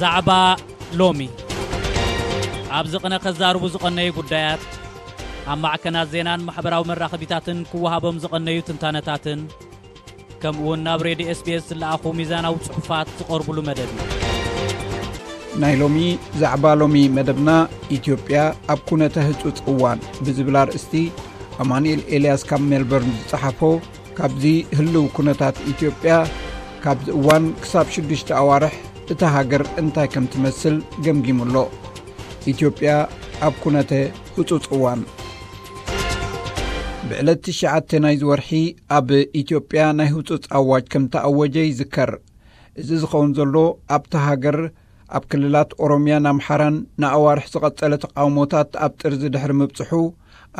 ዛዕባ ሎሚ። ኣብዚ ቅነ ከዛርቡ ዝቐነዩ ጉዳያት፣ ኣብ ማዕከናት ዜናን ማሕበራዊ መራኸቢታትን ክወሃቦም ዝቐነዩ ትንታነታትን፣ ከምኡ እውን ናብ ሬድዮ ኤስ ቢ ኤስ ዝለኣኹ ሚዛናዊ ጽሑፋት ዝቐርቡሉ መደብ እዩ። ናይ ሎሚ ዛዕባ ሎሚ መደብና፣ ኢትዮጵያ ኣብ ኩነተ ህጹጽ እዋን ብዝብል ኣርእስቲ ኣማኑኤል ኤልያስ ካብ ሜልበርን ዝጸሓፎ፣ ካብዚ ህልው ኩነታት ኢትዮጵያ፣ ካብዚ እዋን ክሳብ ሽዱሽተ ኣዋርሕ እታ ሃገር እንታይ ከም ትመስል ገምጊሙ ኣሎ። ኢትዮጵያ ኣብ ኩነተ ህጹጽ እዋን። ብዕለት ትሽዓተ ናይዚ ወርሒ ኣብ ኢትዮጵያ ናይ ህጹጽ ኣዋጅ ከም ተኣወጀ ይዝከር። እዚ ዝኸውን ዘሎ ኣብታ ሃገር ኣብ ክልላት ኦሮሚያን ኣምሓራን ንኣዋርሕ ዝቐጸለ ተቃውሞታት ኣብ ጥርዚ ድሕሪ ምብጽሑ፣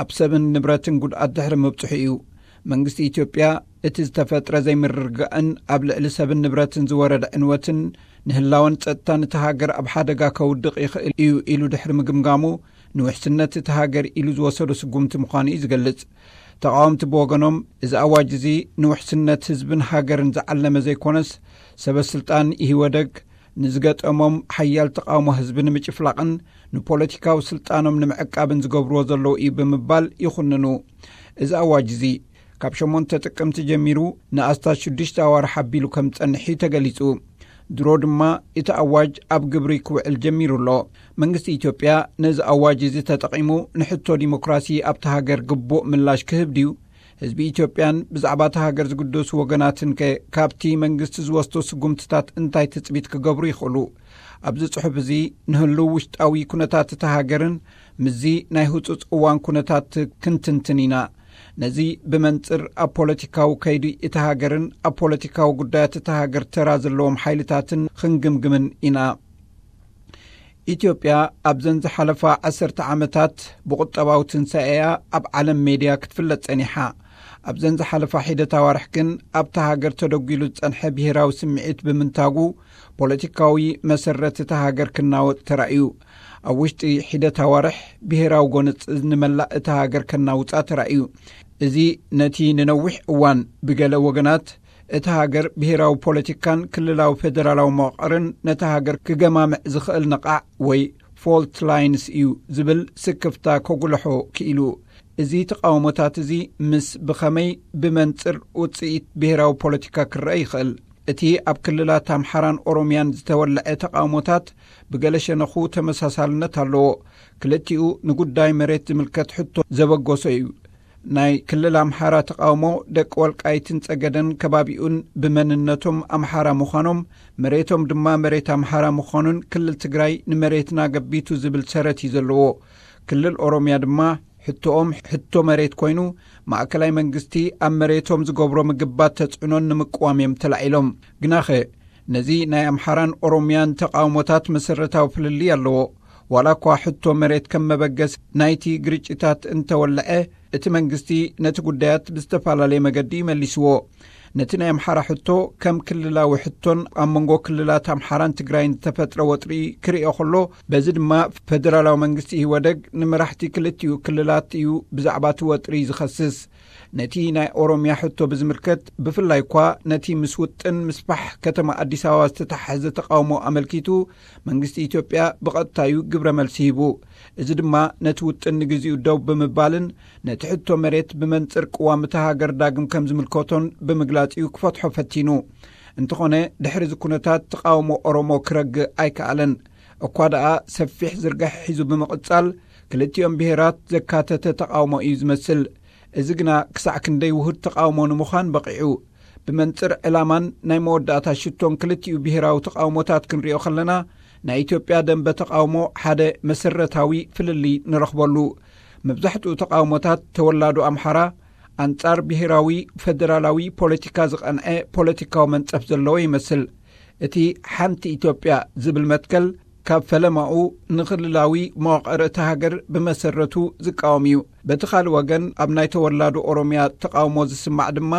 ኣብ ሰብን ንብረትን ጉድኣት ድሕሪ ምብጽሑ እዩ። መንግስቲ ኢትዮጵያ እቲ ዝተፈጥረ ዘይምርግጋእን ኣብ ልዕሊ ሰብን ንብረትን ዝወረደ ዕንወትን ንህላወን ጸጥታን እታ ሃገር ኣብ ሓደጋ ከውድቕ ይኽእል እዩ ኢሉ ድሕሪ ምግምጋሙ፣ ንውሕስነት እታ ሃገር ኢሉ ዝወሰዶ ስጉምቲ ምዃኑ እዩ ዝገልጽ። ተቃወምቲ ብወገኖም፣ እዚ ኣዋጅ እዚ ንውሕስነት ህዝብን ሃገርን ዝዓለመ ዘይኮነስ፣ ሰበ ስልጣን ኢህወደግ ንዝገጠሞም ሓያል ተቃውሞ ህዝቢ ንምጭፍላቕን ንፖለቲካዊ ስልጣኖም ንምዕቃብን ዝገብርዎ ዘለዉ እዩ ብምባል ይኹንኑ። እዚ ኣዋጅ እዚ ካብ ሸሞንተ ጥቅምቲ ጀሚሩ ንኣስታት ሽዱሽተ ኣዋርሕ ኣቢሉ ከም ዝጸንሕ እዩ ተገሊጹ። ድሮ ድማ እቲ ኣዋጅ ኣብ ግብሪ ክውዕል ጀሚሩ ኣሎ። መንግስቲ ኢትዮጵያ ነዚ ኣዋጅ እዚ ተጠቒሙ ንሕቶ ዲሞክራሲ ኣብታ ሃገር ግቡእ ምላሽ ክህብ ድዩ? ህዝቢ ኢትዮጵያን ብዛዕባ እታ ሃገር ዝግደሱ ወገናትን ከ ካብቲ መንግስቲ ዝወስዶ ስጉምትታት እንታይ ትጽቢት ክገብሩ ይኽእሉ? ኣብዚ ጽሑፍ እዚ ንህልው ውሽጣዊ ኩነታት እታ ሃገርን ምስዚ ናይ ህጹጽ እዋን ኩነታት ክንትንትን ኢና። ነዚ ብመንጽር ኣብ ፖለቲካዊ ከይዲ እታ ሃገርን ኣብ ፖለቲካዊ ጉዳያት እታ ሃገር ተራ ዘለዎም ሓይልታትን ክንግምግምን ኢና። ኢትዮጵያ ኣብዘን ዝሓለፋ ዓሰርተ ዓመታት ብቁጠባዊ ትንሳኤያ ኣብ ዓለም ሜድያ ክትፍለጥ ጸኒሓ። ኣብዘን ዝሓለፋ ሒደት ኣዋርሕ ግን ኣብታ ሃገር ተደጒሉ ዝጸንሐ ብሄራዊ ስምዒት ብምንታጉ፣ ፖለቲካዊ መሰረት እታ ሃገር ክናወጥ ተራእዩ። ኣብ ውሽጢ ሒደት ኣዋርሕ ብሄራዊ ጎነጽ ንመላእ እታ ሃገር ከናውጻ ተራእዩ። እዚ ነቲ ንነዊሕ እዋን ብገለ ወገናት እታ ሃገር ብሄራዊ ፖለቲካን ክልላዊ ፌደራላዊ መዋቕርን ነታ ሃገር ክገማምዕ ዝኽእል ነቓዕ ወይ ፎልት ላይንስ እዩ ዝብል ስክፍታ ከጉልሖ ክኢሉ። እዚ ተቃውሞታት እዚ ምስ ብኸመይ ብመንጽር ውጽኢት ብሄራዊ ፖለቲካ ክረአ ይኽእል? እቲ ኣብ ክልላት ኣምሓራን ኦሮምያን ዝተወልዐ ተቃውሞታት ብገለ ሸነኹ ተመሳሳልነት ኣለዎ። ክልቲኡ ንጉዳይ መሬት ዝምልከት ሕቶ ዘበገሶ እዩ። ናይ ክልል ኣምሓራ ተቃውሞ፣ ደቂ ወልቃይትን ጸገደን ከባቢኡን ብመንነቶም ኣምሓራ ምዃኖም፣ መሬቶም ድማ መሬት ኣምሓራ ምዃኑን ክልል ትግራይ ንመሬትና ገቢቱ ዝብል ሰረት እዩ ዘለዎ። ክልል ኦሮምያ ድማ ሕቶኦም ሕቶ መሬት ኮይኑ፣ ማእከላይ መንግስቲ ኣብ መሬቶም ዝገብሮ ምግባት ተጽዕኖን ንምቅዋም እዮም ተላዒሎም። ግናኸ፣ ነዚ ናይ ኣምሓራን ኦሮምያን ተቃውሞታት መሰረታዊ ፍልልይ ኣለዎ። ዋላ እኳ ሕቶ መሬት ከም መበገስ ናይቲ ግርጭታት እንተወልዐ፣ እቲ መንግስቲ ነቲ ጉዳያት ብዝተፈላለየ መገዲ ይመሊስዎ። ነቲ ናይ ኣምሓራ ሕቶ ከም ክልላዊ ሕቶን ኣብ መንጎ ክልላት ኣምሓራን ትግራይን ዝተፈጥረ ወጥሪ ክርእዮ ከሎ፣ በዚ ድማ ፌደራላዊ መንግስቲ ኢህወደግ ንመራሕቲ ክልቲኡ ክልላት እዩ ብዛዕባ እቲ ወጥሪ ዝኸስስ። ነቲ ናይ ኦሮምያ ሕቶ ብዝምልከት፣ ብፍላይ እኳ ነቲ ምስ ውጥን ምስፋሕ ከተማ ኣዲስ ኣበባ ዝተተሓሓዘ ተቃውሞ ኣመልኪቱ፣ መንግስቲ ኢትዮጵያ ብቐጥታ እዩ ግብረ መልሲ ሂቡ። እዚ ድማ ነቲ ውጥን ንግዚኡ ደው ብምባልን ነቲ ሕቶ መሬት ብመንጽር ቅዋም እታ ሃገር ዳግም ከም ዝምልከቶን ብምግላጽ እዩ ክፈትሖ ፈቲኑ። እንተኾነ፣ ድሕሪ እዚ ኩነታት ተቃውሞ ኦሮሞ ክረግእ ኣይከኣለን። እኳ ደኣ ሰፊሕ ዝርግሐ ሒዙ ብምቕጻል፣ ክልቲኦም ብሄራት ዘካተተ ተቃውሞ እዩ ዝመስል። እዚ ግና ክሳዕ ክንደይ ውሁድ ተቃውሞ ንምዃን በቒዑ? ብመንጽር ዕላማን ናይ መወዳእታ ሽቶን ክልቲኡ ብሄራዊ ተቃውሞታት ክንሪኦ ከለና፣ ናይ ኢትዮጵያ ደንበ ተቃውሞ ሓደ መሰረታዊ ፍልልይ ንረኽበሉ። መብዛሕትኡ ተቃውሞታት ተወላዶ ኣምሓራ ኣንጻር ብሄራዊ ፈደራላዊ ፖለቲካ ዝቐንዐ ፖለቲካዊ መንጸፍ ዘለዎ ይመስል። እቲ ሓንቲ ኢትዮጵያ ዝብል መትከል ካብ ፈለማኡ ንክልላዊ መዋቕር እታ ሃገር ብመሰረቱ ዝቃወም እዩ። በቲ ካልእ ወገን፣ ኣብ ናይ ተወላዶ ኦሮምያ ተቃውሞ ዝስማዕ ድማ፣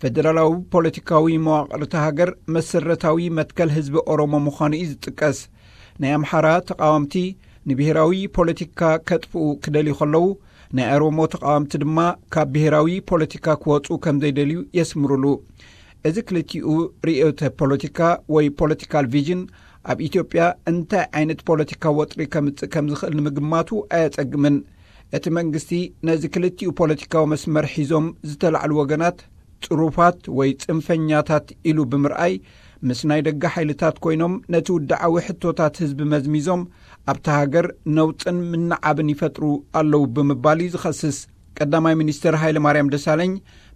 ፈደራላዊ ፖለቲካዊ መዋቕር እታ ሃገር መሰረታዊ መትከል ህዝቢ ኦሮሞ ምዃኑ እዩ ዝጥቀስ። ናይ ኣምሓራ ተቃወምቲ ንብሄራዊ ፖለቲካ ከጥፍኡ ክደልዩ ከለዉ፣ ናይ ኦሮሞ ተቃወምቲ ድማ ካብ ብሄራዊ ፖለቲካ ክወጹ ከም ዘይደልዩ የስምሩሉ። እዚ ክልቲኡ ርእዮተ ፖለቲካ ወይ ፖለቲካል ቪዥን ኣብ ኢትዮጵያ እንታይ ዓይነት ፖለቲካዊ ወጥሪ ከምጽእ ከም ዝኽእል ንምግማቱ ኣየጸግምን። እቲ መንግስቲ ነዚ ክልቲኡ ፖለቲካዊ መስመር ሒዞም ዝተላዕሉ ወገናት ጽሩፋት ወይ ጽንፈኛታት ኢሉ ብምርኣይ፣ ምስ ናይ ደገ ሓይልታት ኮይኖም ነቲ ውድዓዊ ሕቶታት ህዝቢ መዝሚዞም ኣብታ ሃገር ነውጽን ምንዓብን ይፈጥሩ ኣለዉ ብምባል እዩ ዝኸስስ። ቀዳማይ ሚኒስትር ሃይለ ማርያም ደሳለኝ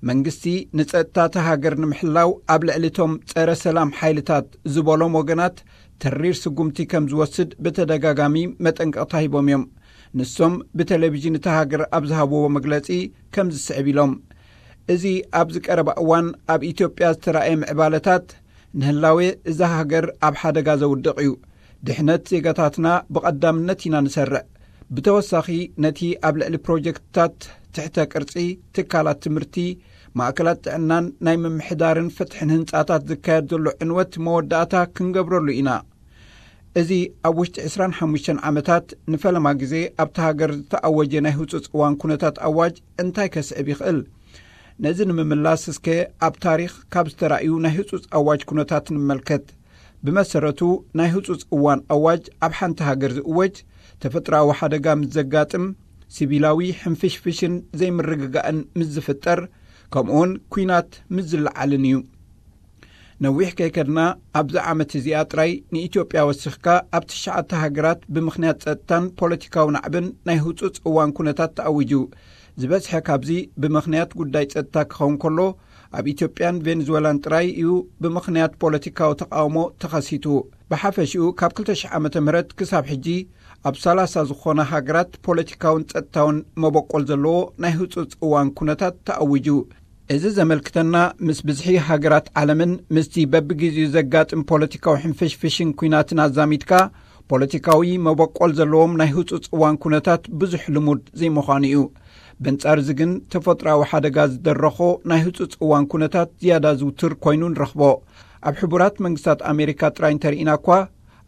መንግስቲ ንጸጥታ እታ ሃገር ንምሕላው ኣብ ልዕሊ እቶም ጸረ ሰላም ሓይልታት ዝበሎም ወገናት ተሪር ስጉምቲ ከም ዝወስድ ብተደጋጋሚ መጠንቀቕታ ሂቦም እዮም። ንሶም ብቴሌቪዥን እታ ሃገር ኣብ ዝሃብዎ መግለጺ ከም ዝስዕብ ኢሎም። እዚ ኣብዚ ቀረባ እዋን ኣብ ኢትዮጵያ ዝተራእየ ምዕባለታት ንህላዌ እዛ ሃገር ኣብ ሓደጋ ዘውድቕ እዩ። ድሕነት ዜጋታትና ብቐዳምነት ኢና ንሰርዕ። ብተወሳኺ ነቲ ኣብ ልዕሊ ፕሮጀክትታት ትሕተ ቅርጺ፣ ትካላት ትምህርቲ፣ ማእከላት ጥዕናን ናይ ምምሕዳርን ፍትሕን ህንጻታት ዝካየድ ዘሎ ዕንወት መወዳእታ ክንገብረሉ ኢና። እዚ ኣብ ውሽጢ ዕስራን ሓሙሽተን ዓመታት ንፈለማ ግዜ ኣብታ ሃገር ዝተኣወጀ ናይ ህጹጽ እዋን ኩነታት ኣዋጅ እንታይ ከስዕብ ይኽእል? ነዚ ንምምላስ እስከ ኣብ ታሪኽ ካብ ዝተራእዩ ናይ ህጹጽ ኣዋጅ ኩነታት ንመልከት። ብመሰረቱ ናይ ህጹጽ እዋን ኣዋጅ ኣብ ሓንቲ ሃገር ዝእወጅ ተፈጥሮኣዊ ሓደጋ ምስ ዘጋጥም፣ ሲቪላዊ ሕንፍሽፍሽን ዘይምርግጋእን ምስ ዝፍጠር፣ ከምኡውን ኲናት ምስ ዝለዓልን እዩ። ነዊሕ ከይከድና ኣብዚ ዓመት እዚኣ ጥራይ ንኢትዮጵያ ወሲኽካ ኣብ ትሽዓተ ሃገራት ብምኽንያት ጸጥታን ፖለቲካዊ ናዕብን ናይ ህጹጽ እዋን ኩነታት ተኣዊጁ። ዝበዝሐ ካብዚ ብምኽንያት ጉዳይ ጸጥታ ክኸውን ከሎ፣ ኣብ ኢትዮጵያን ቬንዙዌላን ጥራይ እዩ ብምኽንያት ፖለቲካዊ ተቓውሞ ተኸሲቱ። ብሓፈሽኡ ካብ ክልተ ሽሕ ዓመተ ምህረት ክሳብ ሕጂ ኣብ ሰላሳ ዝኾና ሃገራት ፖለቲካውን ጸጥታውን መበቆል ዘለዎ ናይ ህጹጽ እዋን ኩነታት ተኣዊጁ። እዚ ዘመልክተና ምስ ብዝሒ ሃገራት ዓለምን ምስቲ በብግዜኡ ዘጋጥም ፖለቲካዊ ሕንፍሽፍሽን ኲናትን ኣዛሚድካ ፖለቲካዊ መበቆል ዘለዎም ናይ ህጹጽ እዋን ኩነታት ብዙሕ ልሙድ ዘይምዃኑ እዩ። በንጻር እዚ ግን ተፈጥሮኣዊ ሓደጋ ዝደረኾ ናይ ህጹጽ እዋን ኩነታት ዝያዳ ዝውቱር ኮይኑ ንረኽቦ። ኣብ ሕቡራት መንግስታት ኣሜሪካ ጥራይ እንተርኢና እኳ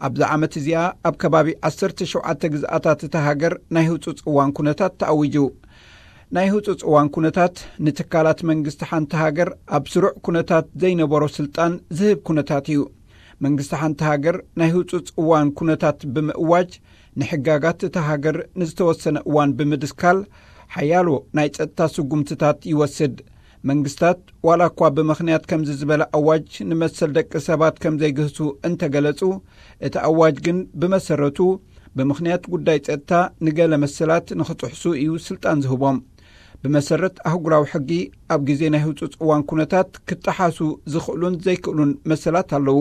ኣብዚ ዓመት እዚኣ ኣብ ከባቢ ዓሰርተ ሸውዓተ ግዝኣታት እታ ሃገር ናይ ህጹጽ እዋን ኩነታት ተኣዊጁ። ናይ ህጹጽ እዋን ኩነታት ንትካላት መንግስቲ ሓንቲ ሃገር ኣብ ስሩዕ ኩነታት ዘይነበሮ ስልጣን ዝህብ ኩነታት እዩ። መንግስቲ ሓንቲ ሃገር ናይ ህጹጽ እዋን ኩነታት ብምእዋጅ ንሕጋጋት እታ ሃገር ንዝተወሰነ እዋን ብምድስካል ሓያሎ ናይ ጸጥታ ስጉምትታት ይወስድ። መንግስታት ዋላ እኳ ብምኽንያት ከምዚ ዝበለ ኣዋጅ ንመሰል ደቂ ሰባት ከም ዘይግህሱ እንተገለጹ፣ እቲ ኣዋጅ ግን ብመሰረቱ ብምኽንያት ጉዳይ ጸጥታ ንገለ መሰላት ንኽጥሕሱ እዩ ስልጣን ዝህቦም። ብመሰረት ኣህጉራዊ ሕጊ ኣብ ግዜ ናይ ህጹጽ እዋን ኩነታት ክጠሓሱ ዝኽእሉን ዘይክእሉን መሰላት ኣለዉ።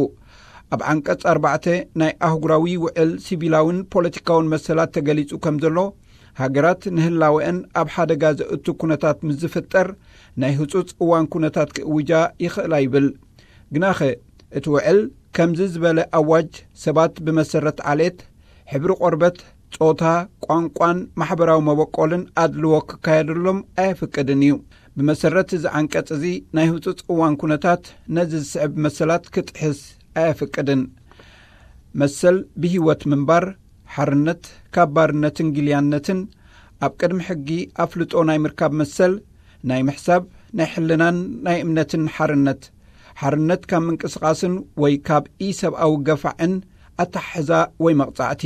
ኣብ ዓንቀጽ ኣርባዕተ ናይ ኣህጉራዊ ውዕል ሲቪላውን ፖለቲካውን መሰላት ተገሊጹ ከም ዘሎ፣ ሃገራት ንህላወአን ኣብ ሓደጋ ዘእቱ ኩነታት ምስ ዝፍጠር ናይ ህጹጽ እዋን ኩነታት ክእውጃ ይኽእላ ይብል። ግናኸ እቲ ውዕል ከምዚ ዝበለ ኣዋጅ ሰባት ብመሰረት ዓሌት፣ ሕብሪ ቆርበት፣ ጾታ፣ ቋንቋን ማሕበራዊ መበቆልን ኣድልዎ ክካየደሎም ኣየፍቅድን እዩ። ብመሰረት እዚ ዓንቀጽ እዚ ናይ ህጹጽ እዋን ኩነታት ነዚ ዝስዕብ መሰላት ክጥሕስ ኣየፍቅድን። መሰል ብህይወት ምንባር፣ ሓርነት ካብ ባርነትን ግልያነትን፣ ኣብ ቅድሚ ሕጊ ኣፍልጦ ናይ ምርካብ መሰል፣ ናይ ምሕሳብ፣ ናይ ሕልናን ናይ እምነትን ሓርነት፣ ሓርነት ካብ ምንቅስቓስን ወይ ካብ ኢሰብኣዊ ገፋዕን ኣተሓሕዛ ወይ መቕጻዕቲ።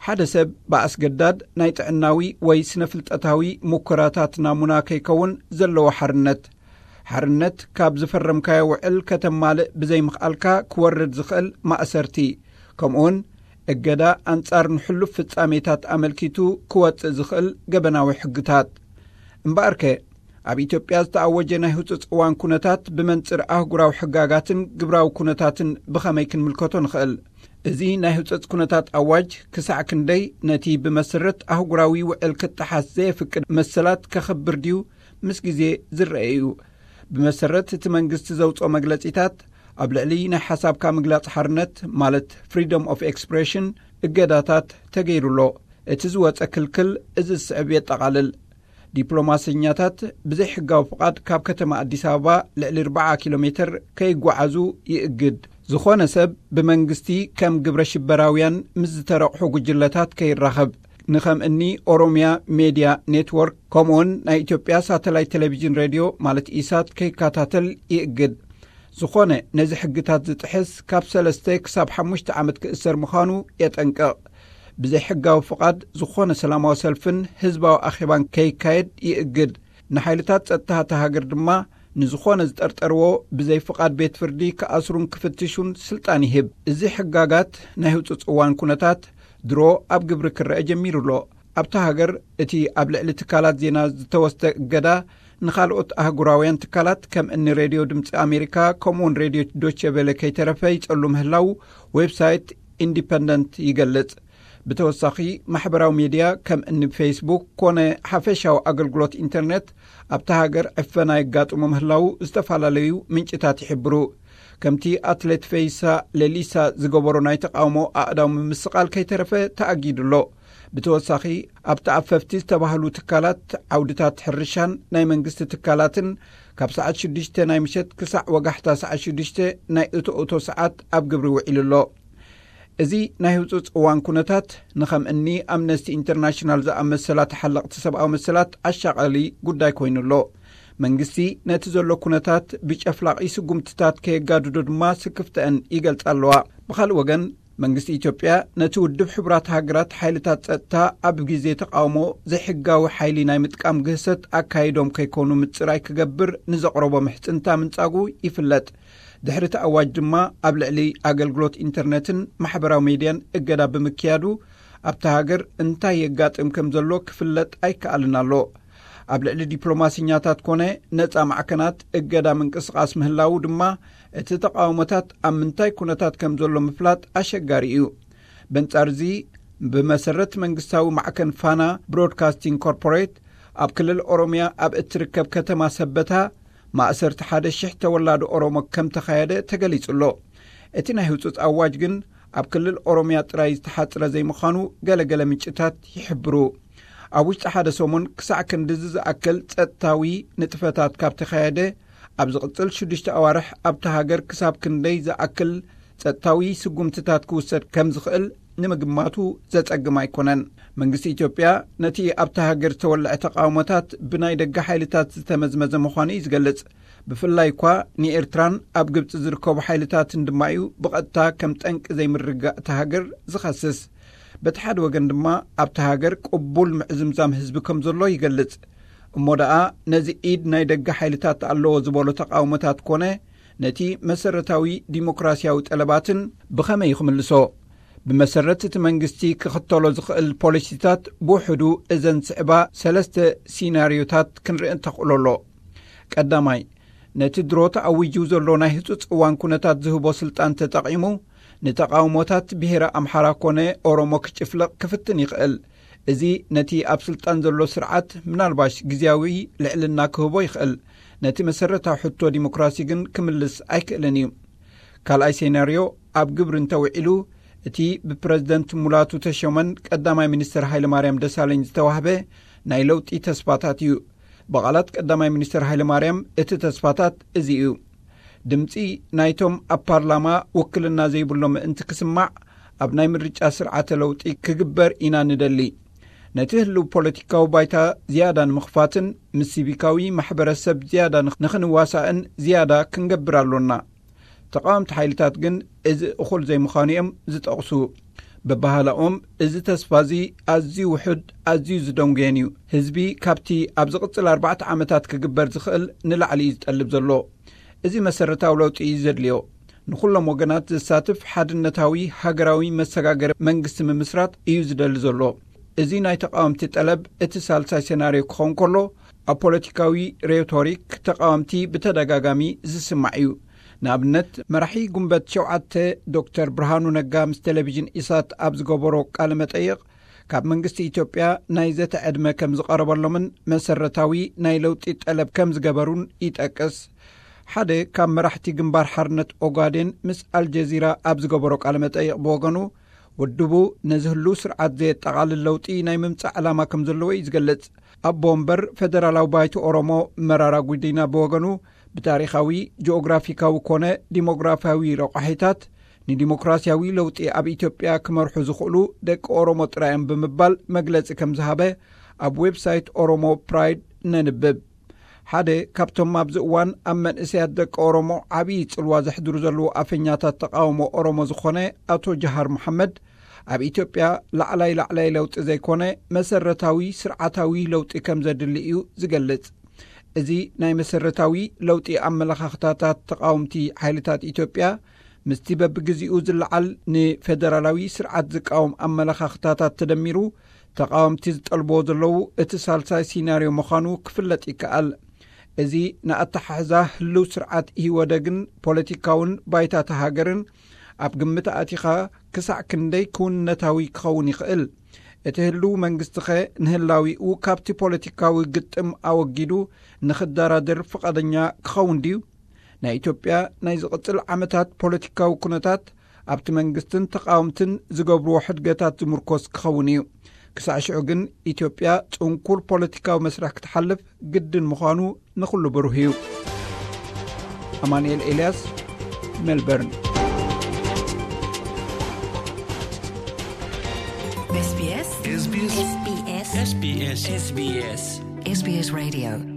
ሓደ ሰብ ብኣስገዳድ ናይ ጥዕናዊ ወይ ስነ-ፍልጠታዊ ሙከራታት ናሙና ከይከውን ዘለዎ ሓርነት። ሓርነት ካብ ዝፈረምካዮ ውዕል ከተማልእ ብዘይምኽኣልካ ክወርድ ዝኽእል ማእሰርቲ፣ ከምኡውን እገዳ ኣንጻር ንሕሉፍ ፍጻሜታት ኣመልኪቱ ክወጽእ ዝኽእል ገበናዊ ሕግታት። እምበኣርከ፣ ኣብ ኢትዮጵያ ዝተኣወጀ ናይ ህጹጽ እዋን ኩነታት ብመንጽር ኣህጉራዊ ሕጋጋትን ግብራዊ ኩነታትን ብኸመይ ክንምልከቶ ንኽእል? እዚ ናይ ህጹጽ ኩነታት ኣዋጅ ክሳዕ ክንደይ ነቲ ብመሰረት ኣህጉራዊ ውዕል ክጠሓስ ዘየፍቅድ መሰላት ከኽብር ድዩ ምስ ግዜ ዝረአ እዩ። ብመሰረት እቲ መንግስቲ ዘውጽኦ መግለጺታት፣ ኣብ ልዕሊ ናይ ሓሳብካ ምግላጽ ሓርነት፣ ማለት ፍሪደም ኦፍ ኤክስፕሬሽን፣ እገዳታት ተገይሩ ኣሎ። እቲ ዝወጸ ክልክል እዚ ዝስዕብ የጠቓልል። ዲፕሎማሰኛታት ብዘይሕጋዊ ፍቓድ ካብ ከተማ ኣዲስ ኣበባ ልዕሊ ኣርባዓ ኪሎ ሜትር ከይጓዓዙ ይእግድ። ዝኾነ ሰብ ብመንግስቲ ከም ግብረ ሽበራውያን ምስ ዝተረቑሑ ጉጅለታት ከይራኸብ፣ ንኸም እኒ ኦሮሚያ ሜድያ ኔትወርክ፣ ከምኡውን ናይ ኢትዮጵያ ሳተላይት ቴሌቪዥን ሬድዮ፣ ማለት ኢሳት፣ ከይከታተል ይእግድ። ዝኾነ ነዚ ሕግታት ዝጥሕስ ካብ ሰለስተ ክሳብ ሓሙሽተ ዓመት ክእሰር ምዃኑ የጠንቅቕ። ብዘይ ሕጋዊ ፍቓድ ዝኾነ ሰላማዊ ሰልፍን ህዝባዊ ኣኼባን ከይካየድ ይእግድ። ንሓይልታት ጸጥታ እታ ሃገር ድማ ንዝኾነ ዝጠርጠርዎ ብዘይ ፍቓድ ቤት ፍርዲ ክኣስሩን ክፍትሹን ስልጣን ይህብ። እዚ ሕጋጋት ናይ ህጹጽ እዋን ኩነታት ድሮ ኣብ ግብሪ ክረአ ጀሚሩ ኣሎ። ኣብታ ሃገር እቲ ኣብ ልዕሊ ትካላት ዜና ዝተወስደ እገዳ ንኻልኦት ኣህጉራውያን ትካላት ከም እኒ ሬድዮ ድምፂ ኣሜሪካ ከምኡውን ሬድዮ ዶቼ ቬለ ከይተረፈ ይጸሉ ምህላው ዌብሳይት ኢንዲፐንደንት ይገልጽ። ብተወሳኺ ማሕበራዊ ሜድያ ከም እኒ ፌስቡክ ኮነ ሓፈሻዊ ኣገልግሎት ኢንተርኔት ኣብታ ሃገር ዕፈና የጋጥሙ ምህላው ዝተፈላለዩ ምንጭታት ይሕብሩ። ከምቲ ኣትሌት ፈይሳ ሌሊሳ ዝገበሮ ናይ ተቃውሞ ኣእዳው ምምስቓል ከይተረፈ ተኣጊዱ ኣሎ። ብተወሳኺ ኣብ ተኣፈፍቲ ዝተባህሉ ትካላት ዓውድታት ሕርሻን ናይ መንግስቲ ትካላትን ካብ ሰዓት ሽዱሽተ ናይ ምሸት ክሳዕ ወጋሕታ ሰዓት ሽዱሽተ ናይ እቶ እቶ ሰዓት ኣብ ግብሪ ውዒሉ ኣሎ። እዚ ናይ ህጹጽ እዋን ኩነታት ንኸም እኒ ኣምነስቲ ኢንተርናሽናል ዝኣመሰላ ተሓለቕቲ ሰብኣዊ መሰላት ኣሻቓሊ ጉዳይ ኮይኑ ኣሎ። መንግስቲ ነቲ ዘሎ ኩነታት ብጨፍላቒ ስጉምትታት ከየጋድዶ ድማ ስክፍተአን ይገልጻ ኣለዋ። ብኻልእ ወገን መንግስቲ ኢትዮጵያ ነቲ ውድብ ሕቡራት ሃገራት ሓይልታት ጸጥታ ኣብ ግዜ ተቃውሞ ዘይሕጋዊ ሓይሊ ናይ ምጥቃም ግህሰት ኣካይዶም ከይኮኑ ምጽራይ ክገብር ንዘቕረቦ ምሕጽንታ ምንጻጉ ይፍለጥ። ድሕሪ እቲ ኣዋጅ ድማ ኣብ ልዕሊ ኣገልግሎት ኢንተርነትን ማሕበራዊ ሜድያን እገዳ ብምክያዱ ኣብታ ሃገር እንታይ የጋጥም ከም ዘሎ ክፍለጥ ኣይከኣልን ኣሎ። ኣብ ልዕሊ ዲፕሎማሲኛታት ኮነ ነጻ ማዕከናት እገዳ ምንቅስቓስ ምህላዉ ድማ እቲ ተቃውሞታት ኣብ ምንታይ ኩነታት ከም ዘሎ ምፍላጥ ኣሸጋሪ እዩ። በንጻር እዚ ብመሰረት መንግስታዊ ማዕከን ፋና ብሮድካስቲንግ ኮርፖሬት ኣብ ክልል ኦሮምያ ኣብ እትርከብ ከተማ ሰበታ ማእሰርቲ ሓደ ሽሕ ተወላዶ ኦሮሞ ከም ተኻየደ ተገሊጹ ኣሎ። እቲ ናይ ህጹጽ ኣዋጅ ግን ኣብ ክልል ኦሮምያ ጥራይ ዝተሓጽረ ዘይምዃኑ ገለገለ ምንጭታት ይሕብሩ። ኣብ ውሽጢ ሓደ ሰሙን ክሳዕ ክንድዚ ዝኣክል ጸጥታዊ ንጥፈታት ካብ ተኻየደ ኣብ ዝቕጽል ሽዱሽተ ኣዋርሕ ኣብቲ ሃገር ክሳብ ክንደይ ዝኣክል ጸጥታዊ ስጉምትታት ክውሰድ ከም ዝኽእል ንምግማቱ ዘጸግም ኣይኮነን። መንግስቲ ኢትዮጵያ ነቲ ኣብታ ሃገር ዝተወልዐ ተቃውሞታት ብናይ ደገ ሓይልታት ዝተመዝመዘ ምዃኑ እዩ ዝገልጽ። ብፍላይ እኳ ንኤርትራን ኣብ ግብጺ ዝርከቡ ሓይልታትን ድማ እዩ ብቐጥታ ከም ጠንቂ ዘይምርግጋእ እታ ሃገር ዝኸስስ። በቲ ሓደ ወገን ድማ ኣብታ ሃገር ቅቡል ምዕዝምዛም ህዝቢ ከም ዘሎ ይገልጽ። እሞ ደኣ ነዚ ኢድ ናይ ደገ ሓይልታት ኣለዎ ዝበሎ ተቃውሞታት ኮነ ነቲ መሰረታዊ ዲሞክራሲያዊ ጠለባትን ብኸመይ ክምልሶ? ብመሰረት እቲ መንግስቲ ክኽተሎ ዝኽእል ፖሊሲታት ብውሕዱ እዘን ስዕባ ሰለስተ ሲናሪዮታት ክንርኢ እንተኽእሎ ኣሎ። ቀዳማይ፣ ነቲ ድሮ ተኣዊጁ ዘሎ ናይ ህጹጽ እዋን ኩነታት ዝህቦ ስልጣን ተጠቒሙ ንተቃውሞታት ብሄረ ኣምሓራ ኮነ ኦሮሞ ክጭፍልቕ ክፍትን ይኽእል። እዚ ነቲ ኣብ ስልጣን ዘሎ ስርዓት ምናልባሽ ግዝያዊ ልዕልና ክህቦ ይኽእል። ነቲ መሰረታዊ ሕቶ ዲሞክራሲ ግን ክምልስ ኣይክእልን እዩ። ካልኣይ ሴናርዮ ኣብ ግብሪ እንተውዒሉ እቲ ብፕረዚደንት ሙላቱ ተሾመን ቀዳማይ ሚኒስትር ሃይለማርያም ደሳለኝ ዝተዋህበ ናይ ለውጢ ተስፋታት እዩ። ብቓላት ቀዳማይ ሚኒስትር ሃይለማርያም እቲ ተስፋታት እዚ እዩ። ድምፂ ናይቶም ኣብ ፓርላማ ውክልና ዘይብሎም ምእንቲ ክስማዕ ኣብ ናይ ምርጫ ስርዓተ ለውጢ ክግበር ኢና ንደሊ። ነቲ ህልው ፖለቲካዊ ባይታ ዝያዳ ንምኽፋትን ምስ ሲቪካዊ ማሕበረሰብ ዝያዳ ንኽ- ንኽንዋሳእን ዝያዳ ክንገብር ኣሎና። ተቃወምቲ ሓይልታት ግን እዚ እኹል ዘይምዃኑ እዮም ዝጠቕሱ። በባህላኦም እዚ ተስፋ እዚ ኣዝዩ ውሑድ፣ ኣዝዩ ዝደንጉየን እዩ። ህዝቢ ካብቲ ኣብ ዝቕጽል ኣርባዕተ ዓመታት ክግበር ዝኽእል ንላዕሊ እዩ ዝጠልብ ዘሎ። እዚ መሰረታዊ ለውጢ እዩ ዘድልዮ። ንኹሎም ወገናት ዘሳትፍ ሓድነታዊ ሃገራዊ መሰጋገሪ መንግስቲ ምምስራት እዩ ዝደሊ ዘሎ። እዚ ናይ ተቃወምቲ ጠለብ እቲ ሳልሳይ ሴናርዮ ክኸውን ከሎ፣ ኣብ ፖለቲካዊ ሬቶሪክ ተቃወምቲ ብተደጋጋሚ ዝስማዕ እዩ። ንኣብነት፣ መራሒ ጉንበት ሸውዓተ ዶክተር ብርሃኑ ነጋ ምስ ቴሌቪዥን ኢሳት ኣብ ዝገበሮ ቃለ መጠይቕ፣ ካብ መንግስቲ ኢትዮጵያ ናይ ዘተ ዕድመ ከም ዝቐረበሎምን መሰረታዊ ናይ ለውጢ ጠለብ ከም ዝገበሩን ይጠቅስ። ሓደ ካብ መራሕቲ ግንባር ሓርነት ኦጋዴን ምስ ኣልጀዚራ ኣብ ዝገበሮ ቃለ መጠይቕ ብወገኑ፣ ውድቡ ነዚ ህሉ ስርዓት ዘየጠቓልል ለውጢ ናይ ምምጻእ ዕላማ ከም ዘለዎ እዩ ዝገልጽ። ኣቦ ወንበር ፈደራላዊ ባይቶ ኦሮሞ መራራ ጉዲና ብወገኑ፣ ብታሪኻዊ፣ ጂኦግራፊካዊ ኮነ ዲሞግራፊያዊ ረቋሒታት ንዲሞክራሲያዊ ለውጢ ኣብ ኢትዮጵያ ክመርሑ ዝኽእሉ ደቂ ኦሮሞ ጥራይ እዮም ብምባል መግለጺ ከም ዝሃበ ኣብ ዌብሳይት ኦሮሞ ፕራይድ ነንብብ። ሓደ ካብቶም ኣብዚ እዋን ኣብ መንእሰያት ደቂ ኦሮሞ ዓብዪ ጽልዋ ዘሕድሩ ዘለዉ ኣፈኛታት ተቓውሞ ኦሮሞ ዝኾነ ኣቶ ጀሃር መሓመድ፣ ኣብ ኢትዮጵያ ላዕላይ ላዕላይ ለውጢ ዘይኮነ መሰረታዊ ስርዓታዊ ለውጢ ከም ዘድሊ እዩ ዝገልጽ። እዚ ናይ መሰረታዊ ለውጢ ኣመለኻኽታታት ተቓወምቲ ሓይልታት ኢትዮጵያ ምስቲ በብግዜኡ ዝለዓል ንፌደራላዊ ስርዓት ዝቃወም ኣመለኻኽታታት ተደሚሩ፣ ተቓወምቲ ዝጠልብዎ ዘለዉ እቲ ሳልሳይ ሲናርዮ ምዃኑ ክፍለጥ ይከኣል። እዚ ንኣተሓሕዛ ህልው ስርዓት ኢህወደግን ፖለቲካውን ባይታ እታ ሃገርን ኣብ ግምት ኣእቲኻ ክሳዕ ክንደይ ክውንነታዊ ክኸውን ይኽእል? እቲ ህልው መንግስቲኸ ንህላዊኡ ካብቲ ፖለቲካዊ ግጥም ኣወጊዱ ንኽደራደር ፍቓደኛ ክኸውን ድዩ? ናይ ኢትዮጵያ ናይ ዝቕጽል ዓመታት ፖለቲካዊ ኩነታት ኣብቲ መንግስትን ተቓወምትን ዝገብርዎ ሕድገታት ዝምርኮስ ክኸውን እዩ። ክሳዕ ሽዑ ግን ኢትዮጵያ ጽንኩር ፖለቲካዊ መስርሕ ክትሓልፍ ግድን ምዃኑ ንኹሉ ብሩህ እዩ። ኣማኑኤል ኤልያስ፣ ሜልበርን። SBS SBS SBS SBS SBS SBS Radio